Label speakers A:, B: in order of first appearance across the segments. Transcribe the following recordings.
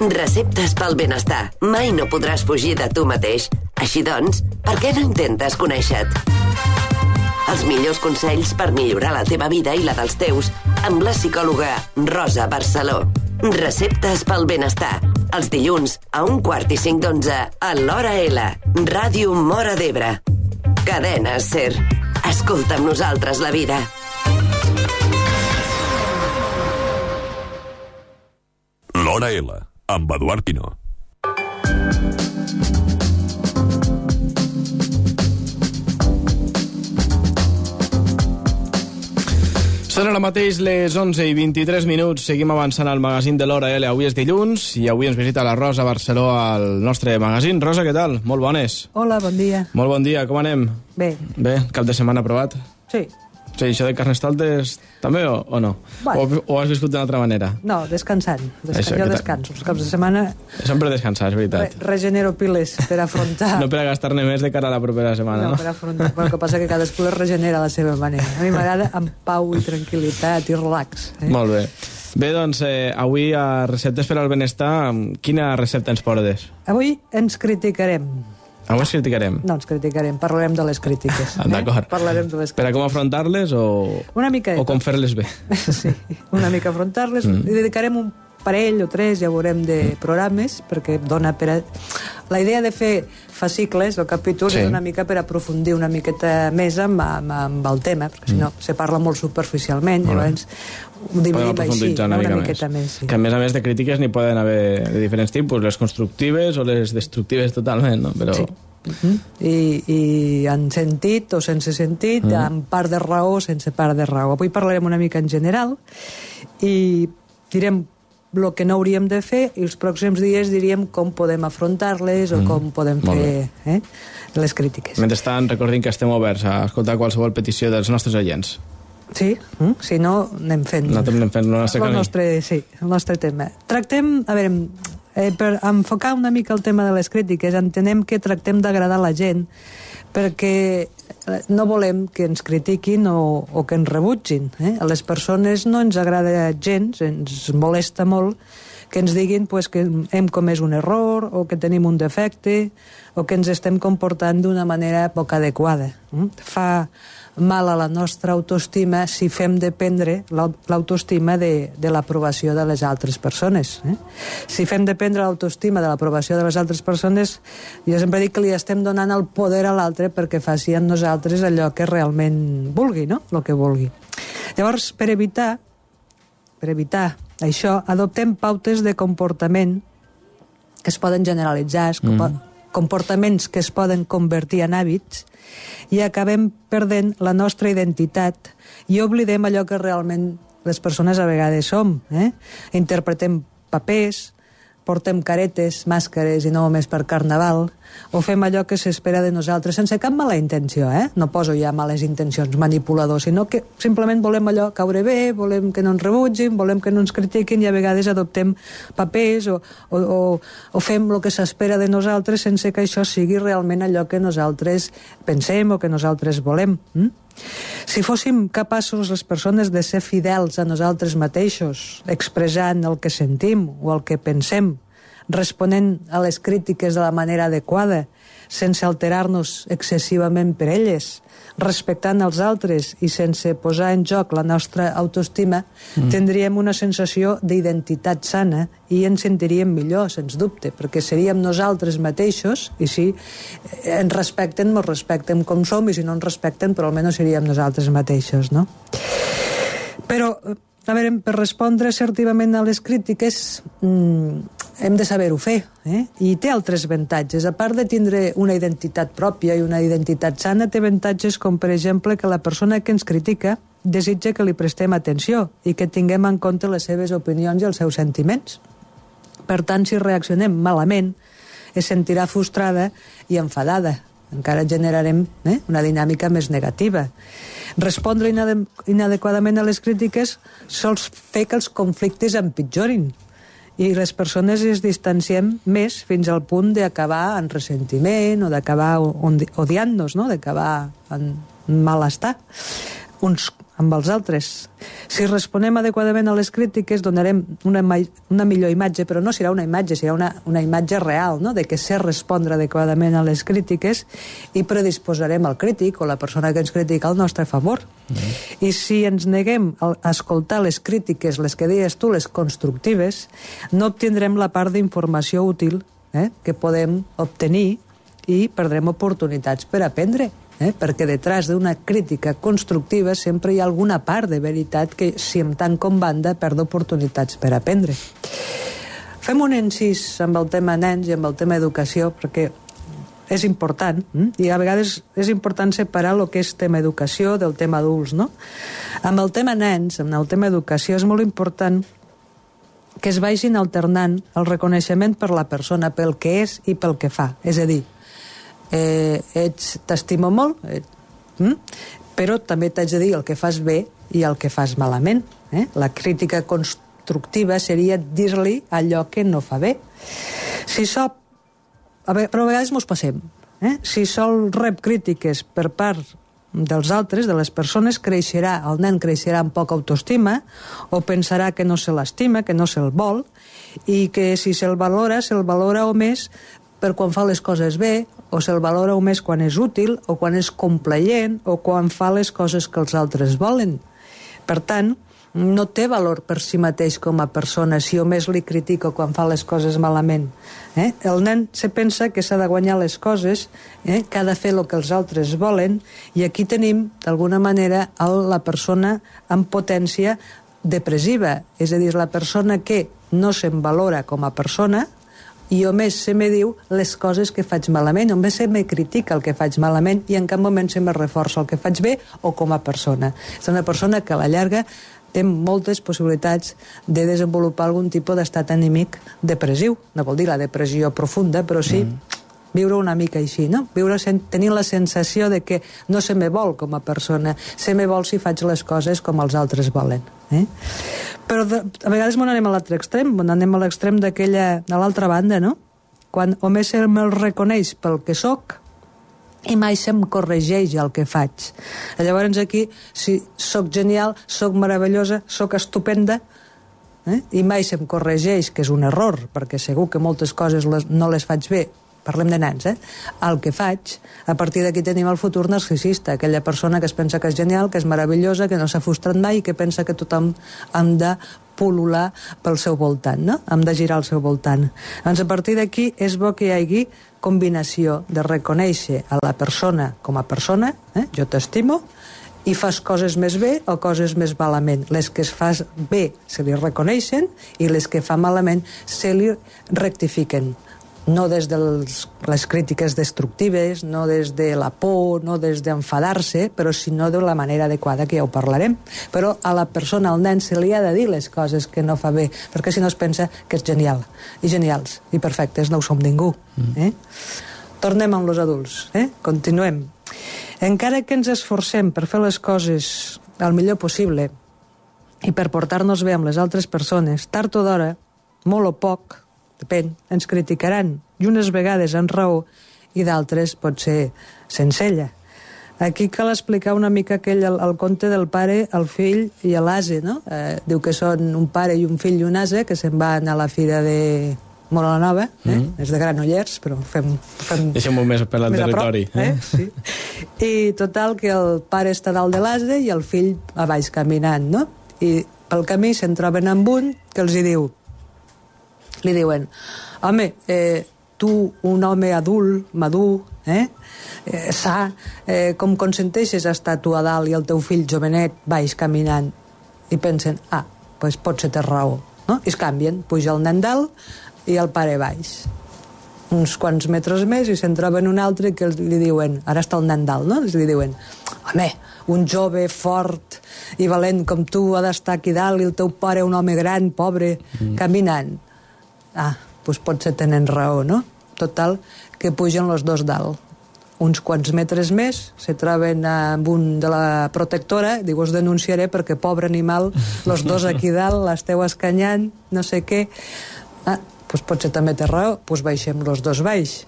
A: Receptes pel benestar. Mai no podràs fugir de tu mateix. Així doncs, per què no intentes conèixer-te? Els millors consells per millorar la teva vida i la dels teus amb la psicòloga Rosa Barceló. Receptes pel benestar. Els dilluns a 1:45 a l'Hora L. Ràdio Móra d'Ebre. Cadena SER. Escolta amb nosaltres la vida.
B: L'Hora L, amb Eduard Pino.
C: Són ara mateix les 11:23. Seguim avançant al magazín de l'Hora L. Avui és dilluns i avui ens visita la Rosa Barceló al nostre magazín. Rosa, què tal? Molt bones.
D: Hola, bon dia.
C: Molt bon dia, com anem?
D: Bé.
C: Bé, cap de setmana aprovat?
D: Sí.
C: Sí, això de Carnestoltes també o no?
D: Bueno.
C: O has viscut d'una altra manera?
D: No, descansant.
C: Això,
D: jo descanso. Els caps de setmana
C: Sempre descansar, és veritat.
D: regenero piles per afrontar...
C: No per a gastar-ne més de cara a la propera setmana, no?
D: No, per afrontar. Però el que passa que cadascú les regenera a la seva manera. A mi m'agrada amb pau i tranquil·litat i relax.
C: Molt bé. Bé, doncs, avui a Receptes per al Benestar, quina recepta ens portes?
D: Avui ens criticarem.
C: Avui ens criticarem.
D: No ens criticarem, parlarem de les crítiques.
C: D'acord.
D: Parlarem de les
C: Per a com afrontar-les
D: Una mica
C: o com fer-les bé?
D: Sí, una mica afrontar-les. I dedicarem un parell o tres, ja veurem, de programes, perquè dona per a... La idea de fer fascicles o capítols és una mica per aprofundir una miqueta més amb el tema, perquè si no se parla molt superficialment, llavors ho dividim així, una miqueta més. Sí.
C: Que a més de crítiques n'hi poden haver de diferents tipus, les constructives o les destructives totalment, no? Però...
D: Sí. I en sentit o sense sentit, amb part de raó o sense part de raó. Avui parlarem una mica en general i direm el que no hauríem de fer i els pròxims dies diríem com podem afrontar-les o com podem fer les crítiques.
C: Mentrestant, recordin que estem oberts a escoltar qualsevol petició dels nostres oients.
D: Sí, si no, anem fent...
C: Nosaltres anem fent el nostre camí.
D: El nostre tema. Tractem, a veure, per enfocar una mica el tema de les crítiques, entenem que tractem d'agradar la gent perquè no volem que ens critiquin o que ens rebutgin. A les persones no ens agrada gens, ens molesta molt que ens diguin que hem comès un error o que tenim un defecte o que ens estem comportant d'una manera poc adequada. Fa mal a la nostra autoestima si fem dependre l'autoestima de l'aprovació de les altres persones. Si fem dependre l'autoestima de l'aprovació de les altres persones, jo sempre dic que li estem donant el poder a l'altre perquè faci amb nosaltres allò que realment vulgui, no? El que vulgui. Llavors, per evitar això, adoptem pautes de comportament que es poden generalitzar, comportaments que es poden convertir en hàbits, i acabem perdent la nostra identitat i oblidem allò que realment les persones a vegades som. Interpretem papers, portem caretes, màscares i no només per carnaval, o fem allò que s'espera de nosaltres sense cap mala intenció, no poso ja males intencions, manipulador, sinó que simplement volem allò caure bé, volem que no ens rebutgin, volem que no ens critiquin i a vegades adoptem papers o fem el que s'espera de nosaltres sense que això sigui realment allò que nosaltres pensem o que nosaltres volem. Si fóssim capaços les persones de ser fidels a nosaltres mateixos, expressant el que sentim o el que pensem, responent a les crítiques de la manera adequada, sense alterar-nos excessivament per elles, respectant els altres i sense posar en joc la nostra autoestima, tindríem una sensació d'identitat sana i ens sentiríem millor, sens dubte, perquè seríem nosaltres mateixos i si ens respecten com som i si no ens respecten, però almenys seríem nosaltres mateixos, no? Però, a veure, per respondre assertivament a les crítiques hem de saber-ho fer, i té altres avantatges. A part de tindre una identitat pròpia i una identitat sana, té avantatges com, per exemple, que la persona que ens critica desitja que li prestem atenció i que tinguem en compte les seves opinions i els seus sentiments. Per tant, si reaccionem malament, es sentirà frustrada i enfadada. Encara generarem una dinàmica més negativa. Respondre inadequadament a les crítiques sol fer que els conflictes empitjorin i les persones es distanciem més fins al punt d'acabar en ressentiment o d'acabar odiant-nos, no? D'acabar en malestar uns amb els altres. Si responem adequadament a les crítiques, donarem una millor imatge, però no serà una imatge, serà una imatge real, no?, de que sé respondre adequadament a les crítiques i predisposarem el crític o la persona que ens critica al nostre favor. I si ens neguem a escoltar les crítiques, les que deies tu, les constructives, no obtindrem la part d'informació útil que podem obtenir i perdrem oportunitats per aprendre. Perquè detrás d'una crítica constructiva sempre hi ha alguna part de veritat que, si em tanco en banda, perdo oportunitats per aprendre. Fem un incís amb el tema nens i amb el tema educació, perquè és important, i a vegades és important separar el que és tema educació del tema adults, no? Amb el tema nens, amb el tema educació, és molt important que es vagin alternant el reconeixement per la persona, pel que és i pel que fa. És a dir, t'estimo molt, però també t'haig de dir el que fas bé i el que fas malament. La crítica constructiva seria dir-li allò que no fa bé. Però a vegades mos passem. Si sol rep crítiques per part dels altres, de les persones, el nen creixerà amb poca autoestima o pensarà que no se l'estima, que no se'l vol, i que si se'l valora o més per quan fa les coses bé, o se'l valora o més quan és útil, o quan és complaent, o quan fa les coses que els altres volen. Per tant, no té valor per si mateix com a persona si jo més li critico quan fa les coses malament. El nen se pensa que s'ha de guanyar les coses, que ha de fer el que els altres volen, i aquí tenim, d'alguna manera, la persona amb potència depressiva, és a dir, la persona que no se'n valora com a persona, i o més se me diu les coses que faig malament, o més se me critica el que faig malament i en cap moment se me reforça el que faig bé o com a persona. És una persona que a la llarga té moltes possibilitats de desenvolupar algun tipus d'estat anímic depressiu. No vol dir la depressió profunda, però sí viure una mica així, no? Viure tenint la sensació de que no se me vol com a persona, se me vol si faig les coses com els altres volen. Però a vegades anem a l'altre extrem, anem a l'extrem de l'altra banda, no? Quan o més me'l reconeix pel que soc i mai se'm corregeix el que faig. Llavors aquí, si soc genial, soc meravellosa, soc estupenda, i mai se'm corregeix, que és un error, perquè segur que moltes coses no les faig bé, parlem de nens, el que faig, a partir d'aquí tenim el futur narcisista, aquella persona que es pensa que és genial, que és meravellosa, que no s'ha frustrat mai i que pensa que tothom hem de pul·lular pel seu voltant, no? Hem de girar al seu voltant. Doncs a partir d'aquí és bo que hi hagi combinació de reconèixer a la persona com a persona, jo t'estimo, i fas coses més bé o coses més malament. Les que es fas bé se li reconeixen i les que fa malament se li rectifiquen. No des de les crítiques destructives, no des de la por, no des d'enfadar-se, però sinó de la manera adequada, que ja ho parlarem. Però a la persona, al nen, se li ha de dir les coses que no fa bé, perquè si no es pensa que és genial, i genials, i perfectes, no ho som ningú. Tornem amb els adults, continuem. Encara que ens esforcem per fer les coses el millor possible i per portar-nos bé amb les altres persones, tard o d'hora, molt o poc, depèn, ens criticaran, i unes vegades amb raó i d'altres pot ser sense ella. Aquí cal explicar una mica el conte del pare, el fill i l'ase, no? Diu que són un pare i un fill i un ase que se'n van a la fira de Móra la Nova, és de Granollers, però fem
C: deixem-ho més per al territori.
D: Sí. I total que el pare està dalt de l'ase i el fill a baix caminant, no? I pel camí se'n troben amb un que els hi diu, li diuen, home, tu, un home adult, madur, sa, com consenteixes estar tu a dalt i el teu fill jovenet baix caminant? I pensen, doncs potser té raó, no? I es canvien, puja el nen dalt i el pare baix. Uns quants metres més i se'n troben un altre que li diuen, ara està el nen dalt, no? Li diuen, home, un jove fort i valent com tu ha d'estar aquí dalt i el teu pare un home gran, pobre, caminant. Doncs potser tenen raó, no? Total, que pugen els dos dalt. Uns quants metres més, se troben amb un de la protectora, diu, us denunciaré perquè, pobre animal, els dos aquí dalt, l'esteu escanyant, no sé què. Doncs potser també té raó, doncs baixem els dos baix.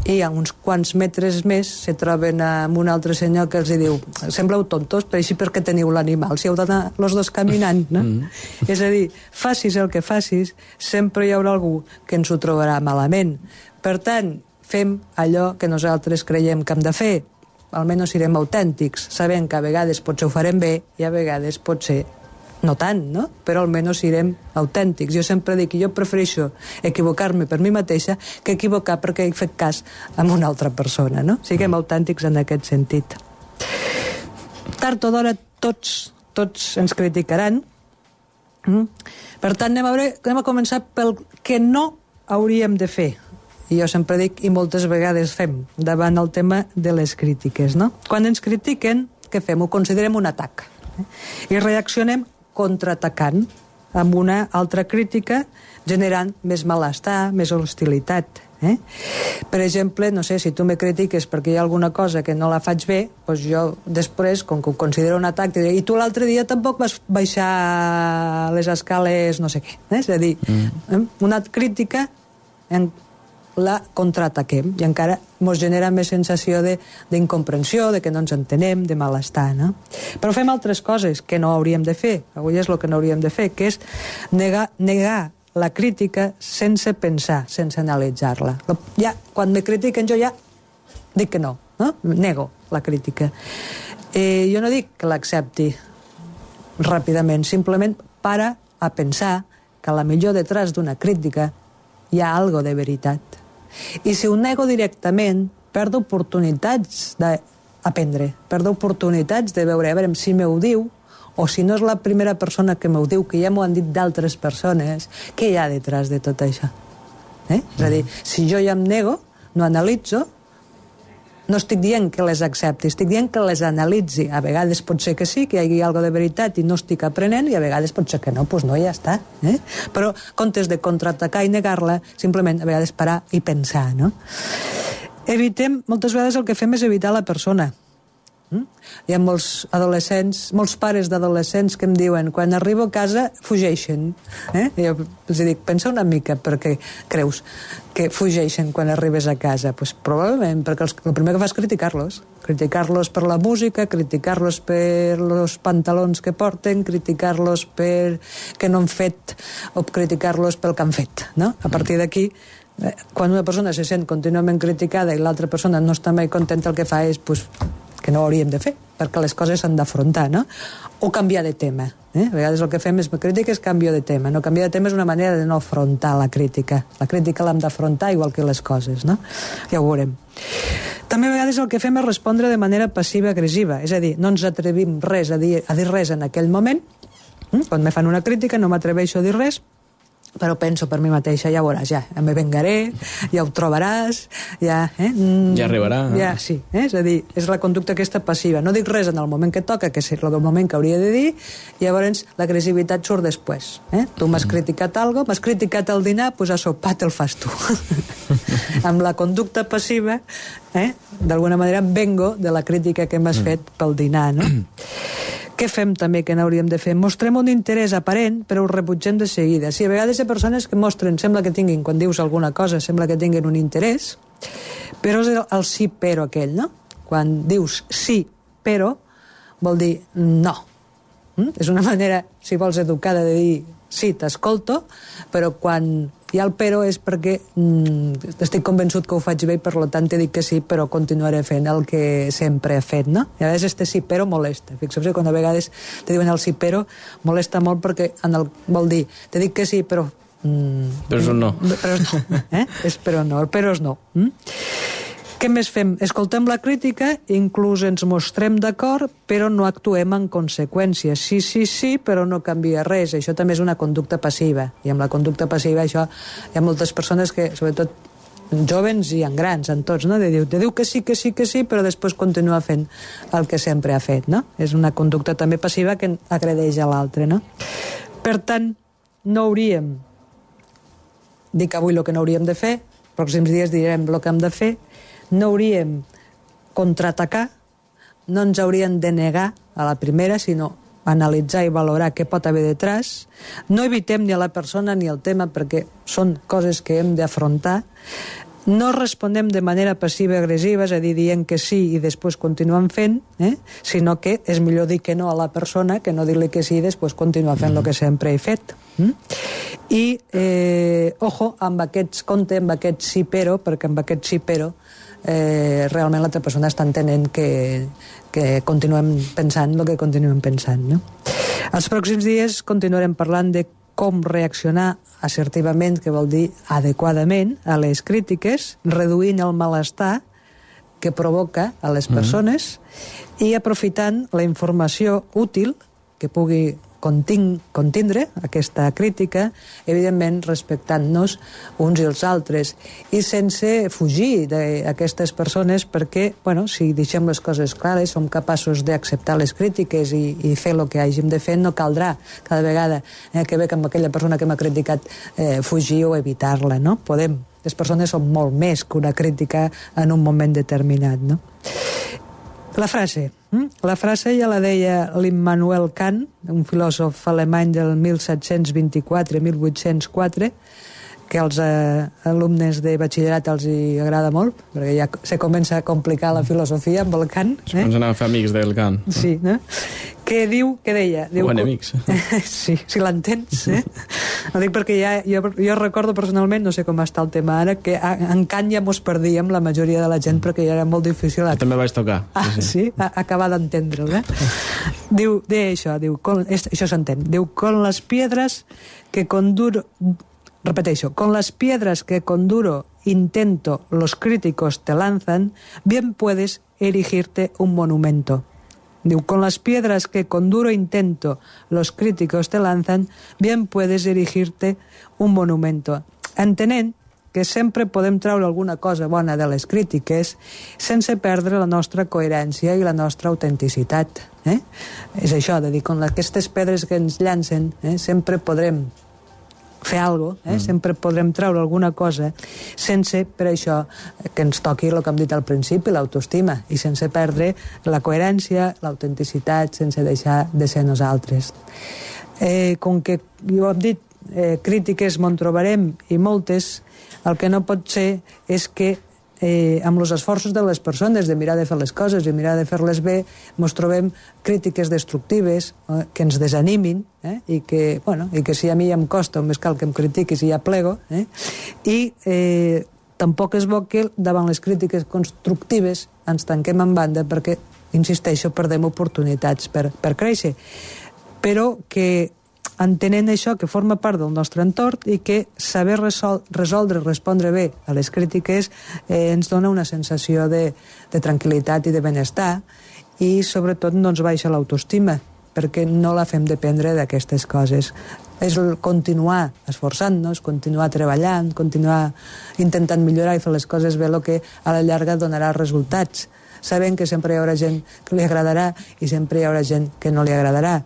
D: i a uns quants metres més se troben amb un altre senyor que els diu sembleu tontos, però així perquè teniu l'animal si heu d'anar els dos caminant, no? És a dir, facis el que facis sempre hi haurà algú que ens ho trobarà malament. Per tant, fem allò que nosaltres creiem que hem de fer, almenys serem autèntics, sabent que a vegades potser ho farem bé i a vegades potser no tant, no? Però almenys serem autèntics. Jo sempre dic que jo prefereixo equivocar-me per mi mateixa que equivocar perquè he fet cas a una altra persona, no? Siguem autèntics en aquest sentit. Tard o d'hora tots ens criticaran. Per tant, anem a començar pel que no hauríem de fer. I jo sempre dic, i moltes vegades fem, davant el tema de les crítiques, no? Quan ens critiquen, què fem? Ho considerem un atac. I reaccionem contraatacant amb una altra crítica, generant més malestar, més hostilitat. Per exemple, no sé, si tu me critiques perquè hi ha alguna cosa que no la faig bé, doncs jo després, com que ho considero un atac, diré, i tu l'altre dia tampoc vas baixar les escales no sé què. És a dir, una crítica la contraataquem i encara ens genera més sensació d'incomprensió, de que no ens entenem, de malestar, no? Però fem altres coses que no hauríem de fer, avui és el que no hauríem de fer, que és negar la crítica sense pensar, sense analitzar-la. Ja, quan me critiquen jo ja dic que no? Nego la crítica. Jo no dic que l'accepti ràpidament, simplement para a pensar que a la millor detrás d'una crítica hi ha algo de veritat. I si ho nego directament, perdo oportunitats d'aprendre, perdo oportunitats de veure, a veure si m'ho diu, o si no és la primera persona que m'ho diu, que ja m'ho han dit d'altres persones, què hi ha detrás de tot això? És a dir, si jo ja em nego, no analitzo, no estic dient que les accepti, estic dient que les analitzi. A vegades pot ser que sí, que hi hagi alguna de veritat i no estic aprenent, i a vegades pot ser que no, doncs no, ja està. Però, en comptes de contraatacar i negar-la, simplement a vegades parar i pensar, no? Moltes vegades el que fem és evitar la persona. Hi ha molts adolescents, molts pares d'adolescents que em diuen quan arribo a casa fugeixen. Jo els dic, pensa una mica perquè creus que fugeixen quan arribes a casa. Pues probablement perquè el primer que fa és criticar-los per la música, criticar-los per els pantalons que porten, criticar-los per què no han fet o criticar-los pel que han fet, no? A partir d'aquí, quan una persona se sent contínuament criticada i l'altra persona no està mai contenta, el que fa és que no ho hauríem de fer, perquè les coses s'han d'afrontar, no? O canviar de tema. A vegades el que fem és crítiques, canvio de tema. No, canviar de tema és una manera de no afrontar la crítica. La crítica l'hem d'afrontar igual que les coses, no? Ja ho veurem. També a vegades el que fem és respondre de manera passiva-agressiva, és a dir, no ens atrevim a dir res en aquell moment. Quan me fan una crítica no m'atreveixo a dir res, però penso per mi mateixa, ja veuràs, ja me vengaré, ja ho trobaràs, ja
C: arribarà.
D: Ja, sí, és a dir, és la conducta aquesta passiva. No dic res en el moment que toca, que és el moment que hauria de dir, i llavors l'agressivitat surt després. Tu m'has criticat alguna cosa, m'has criticat el dinar, doncs a sopar te'l fas tu. Amb la conducta passiva, d'alguna manera vengo de la crítica que m'has fet pel dinar, no? Què fem també que n'hauríem de fer? Mostrem un interès aparent, però ho rebutgem de seguida. Si a vegades hi ha persones que mostren, sembla que tinguin, quan dius alguna cosa, sembla que tinguin un interès, però és el sí però aquell, no? Quan dius sí però, vol dir no. És una manera, si vols, educada de dir sí, t'escolto, però quan hi ha el però és perquè estic convençut que ho faig bé i per tant te dic que sí, però continuaré fent el que sempre he fet, no? I a vegades este sí però molesta. Fixeu-vos quan a vegades te diuen el sí però molesta molt perquè vol dir, te dic que sí però...
C: Però és un no.
D: Però és no, és però no, el però és no. Què més fem? Escoltem la crítica, inclús ens mostrem d'acord, però no actuem en conseqüència. Sí, però no canvia res. Això també és una conducta passiva. I amb la conducta passiva això hi ha moltes persones que, sobretot jovens i en grans, en tots, no? Te diu que sí, però després continua fent el que sempre ha fet, no? És una conducta també passiva que agredeix a l'altre, no? Per tant, no hauríem... Dic avui el que no hauríem de fer, els pròxims dies direm el que hem de fer, no hauríem contraatacar, no ens haurien de negar a la primera, sinó analitzar i valorar què pot haver detrás. No evitem ni a la persona ni el tema perquè són coses que hem d'afrontar. No responem de manera passiva-agressiva, és a dir, dient que sí i després continuem fent, sinó que és millor dir que no a la persona que no dir-li que sí i després continuar fent el que sempre he fet. I, ojo, amb aquest compte, amb aquest sí però, perquè amb aquest sí però realment l'altra persona està entenent que continuem pensant el que continuem pensant, no? Els pròxims dies continuarem parlant de com reaccionar assertivament, que vol dir adequadament, a les crítiques, reduint el malestar que provoca a les persones i aprofitant la informació útil que pugui contindre aquesta crítica, evidentment respectant-nos uns i els altres i sense fugir d'aquestes persones perquè, bueno, si deixem les coses clares, som capaços d'acceptar les crítiques i fer el que hàgim de fer, no caldrà cada vegada que veig amb aquella persona que m'ha criticat fugir o evitar-la, no? Podem. Les persones són molt més que una crítica en un moment determinat, no? La frase ja la deia l'Immanuel Kant, un filòsof alemany del 1724-1804, que als alumnes de batxillerat els hi agrada molt, perquè ja se comença a complicar la filosofia amb el Kant.
C: Es comencen a fer amics del Kant.
D: Sí, no? Que deia...
C: O enemics.
D: Sí, si l'entens, Ho dic perquè jo recordo personalment, no sé com està el tema ara, que en Kant ja mos perdíem la majoria de la gent perquè ja era molt difícil...
C: Jo també vaig tocar.
D: Sí? Acabar d'entendre'l, Deia això, això s'entén. Diu, con les piedras que conduro... Repeteixo, con las piedras que con duro intento los críticos te lanzan, bien puedes erigirte un monumento. Diu, con las piedras que con duro intento los críticos te lanzan, bien puedes erigirte un monumento. Entenent que sempre podem treure alguna cosa bona de les crítiques sense perdre la nostra coherència i la nostra autenticitat. És això, de dir, con aquestes pedres que ens llancen, sempre podrem fer alguna cosa, sempre podrem treure alguna cosa sense, per això, que ens toqui el que hem dit al principi, l'autoestima, i sense perdre la coherència, l'autenticitat, sense deixar de ser nosaltres. Com que, jo hem dit, crítiques me'n trobarem i moltes, el que no pot ser és que amb els esforços de les persones de mirar de fer les coses i mirar de fer-les bé, ens trobem crítiques destructives que ens desanimin i que si a mi ja em costa, només cal que em critiquis i ja plego, i tampoc és bo que davant les crítiques constructives ens tanquem en banda perquè, insisteixo, perdem oportunitats per créixer, però que entenent això que forma part del nostre entorn i que saber resoldre i respondre bé a les crítiques ens dona una sensació de tranquil·litat i de benestar i sobretot no ens baixa l'autoestima perquè no la fem dependre d'aquestes coses. És continuar esforçant-nos, continuar treballant, continuar intentant millorar i fer les coses bé el que a la llarga donarà resultats, sabent que sempre hi haurà gent que li agradarà i sempre hi haurà gent que no li agradarà,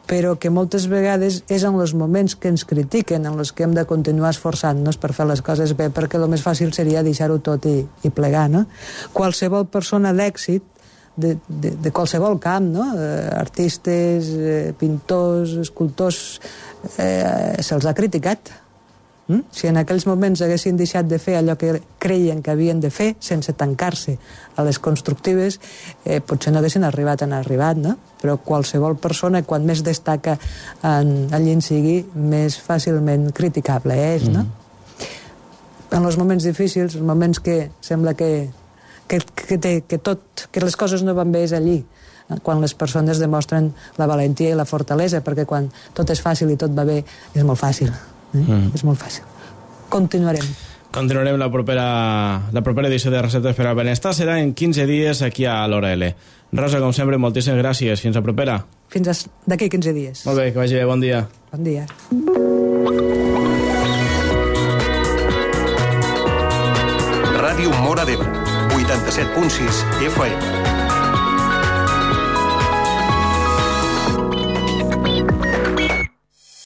D: però que moltes vegades és en els moments que ens critiquen en els que hem de continuar esforçant-nos per fer les coses bé, perquè el més fàcil seria deixar-ho tot i plegar, no? Qualsevol persona d'èxit, de qualsevol camp, no? Artistes, pintors, escultors, se'ls ha criticat. Si en aquells moments haguessin deixat de fer allò que creien que havien de fer, sense tancar-se a les constructives, potser no haguessin arribat on han arribat, no? Però qualsevol persona, quan més destaca allí en sigui, més fàcilment criticable és, no? En els moments difícils, els moments que sembla que les coses no van bé és allí, quan les persones demostren la valentia i la fortalesa, perquè quan tot és fàcil i tot va bé, és molt fàcil. És molt fàcil. Continuarem.
C: Continuarem la propera edició de Receptes per al Benestar. Serà en 15 dies aquí a l'Hora L. Rosa, com sempre, moltíssimes gràcies. Fins a propera.
D: Fins d'aquí 15 dies.
C: Molt bé, que vagi bé. Bon dia.
D: Bon dia.
E: Ràdio Móra d'Ebre, 87.6 FM.